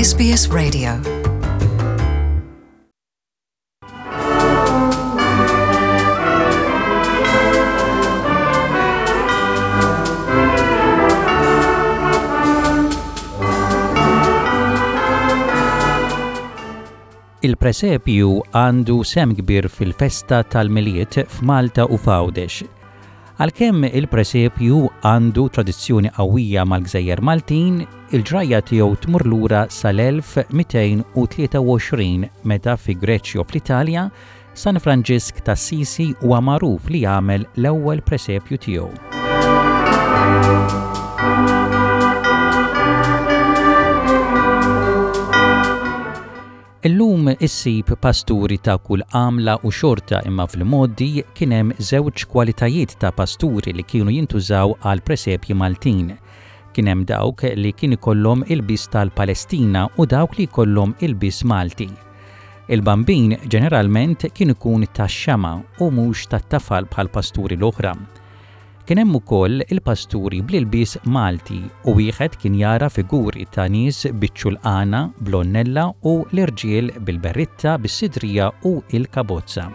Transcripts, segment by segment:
SBS Radio. Il-presepju għandu sehem kbir fil-festa tal-Milied f'Malta u f'Għawdex. Għalkemm il-presepju għandu tradizzjoni qawwija mal-gżejjer Maltin, il-ġrajja tiegħu tmur lura sal-1223 meta fi Greċjo fl-Italja, San Franġisk t'Assisi huwa magħruf li għamel l-ewwel presepju tiegħu. Illum issib pasturi ta' kull għamla u xorta imma fl-imgħoddi kien hemm żewġ kwalitajiet ta' pasturi li kienu jintużaw għall-presepji Maltin. Kien hemm dawk li kien ikollhom ilbies tal-Palestina u dawk li jkollhom ilbies Malti. Il-Bambin ġeneralment kien ikun tax-xama' u mhux tat-tafal bħall-pasturi l-oħra. Kien hemm ukoll il-pasturi bl-ilbies Malti u wieħed kien jara figuri ta' nies biċ-ċulqana, bl-għonnella u l-irġiel bil-berritta, bis-sidrija u l-kabozza.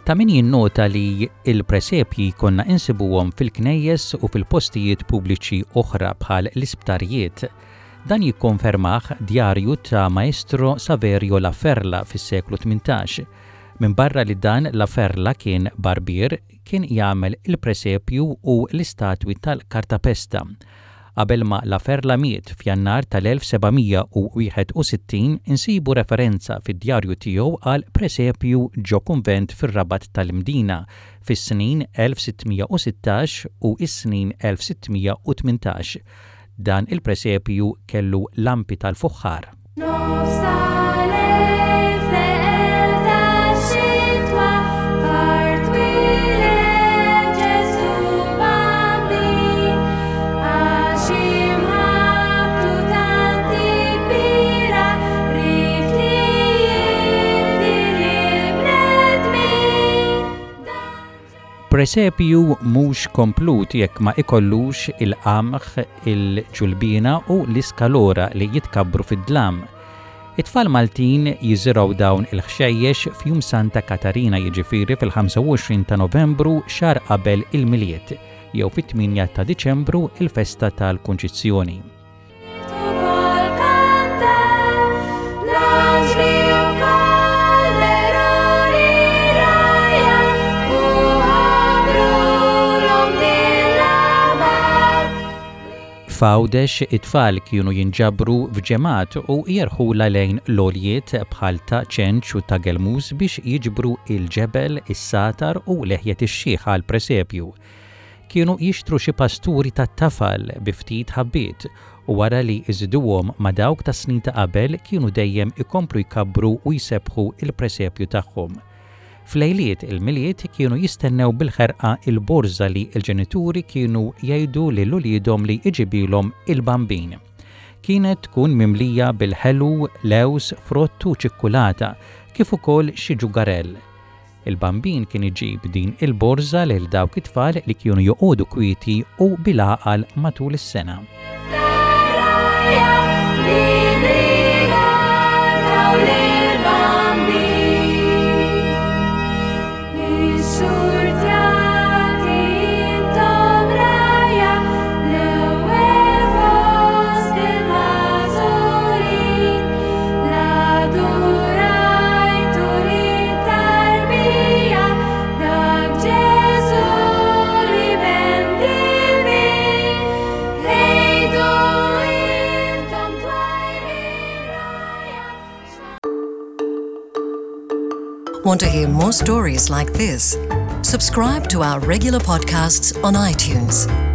Ta' min jinnota li l-presepji konna insibuhom fil-knejjes u fil-postijiet pubbliċi oħra bħal l-isptarijiet. Dan jikkonfermah djarju ta' Maestro Saverio La Ferla fis-seklu 18. Minbarra li dan La Ferla kien barbier, kien jagħmel il-presepju u l-istatwi tal-kartapesta. Qabel ma La Ferla miet f'Jannar tal-1761 insibu referenza fid-djarju tiegħu għal presepju ġo kunvent fir-Rabat tal-Imdina fis-snin 1616 u s-snin 1618. Dan il-presepju kellu lampi tal-fuħħar. Nofs tal-lejl fl-eqel tax-xitwa f'art twieled Ġesù Bambin għax imħabbtu tant hi kbira ried li jifdi lill-bnedmin. Presepju mhux komplut jekk ma ikollux il-qamħ, il-ġulbiena u l-iskalora li jitkabbru fid-dlam. It-tfal Maltin jiżirgħu dawn il-ħxejjex f'Jum Santa Katarina jiġifieri fil-25 ta' Novembru xahar qabel il-Milied jew fit-8 ta' Diċembru il-festa tal-Kunċizzjoni. F'Għawdex it-tfal kienu jinġabru f'ġemgħat u jerħulha lejn l-għoljiet bħal ta' Ċenċ u ta' Gelmus biex jiġbru il-ġebel, is-sagħtar u leħjet ix-xiħ għall-presepju. Kienu jixtru xi pasturi tat-tafal bi ftit ħabbiet u wara li jżiduhom ma' dawk tas-snin ta' qabel kienu dejjem ikomplu jkabbru u jsebbħu l-presepju tagħhom. F'lejliet il-Milied kienu jistennew bil-ħerqa l-borża li l-ġenituri kienu jgħidu lil uliedhom li jġibilhom il-Bambin. Kienet tkun mimlija bil-ħelu, lewż, frott u ċikkulata, kif ukoll xi ġugarell. Il-Bambin kien iġib din il-borża lil dawk it-tfal li kienu joqogħdu kwieti u bil-għaqal matul is-sena. Want to hear more stories like this? Subscribe to our regular podcasts on iTunes.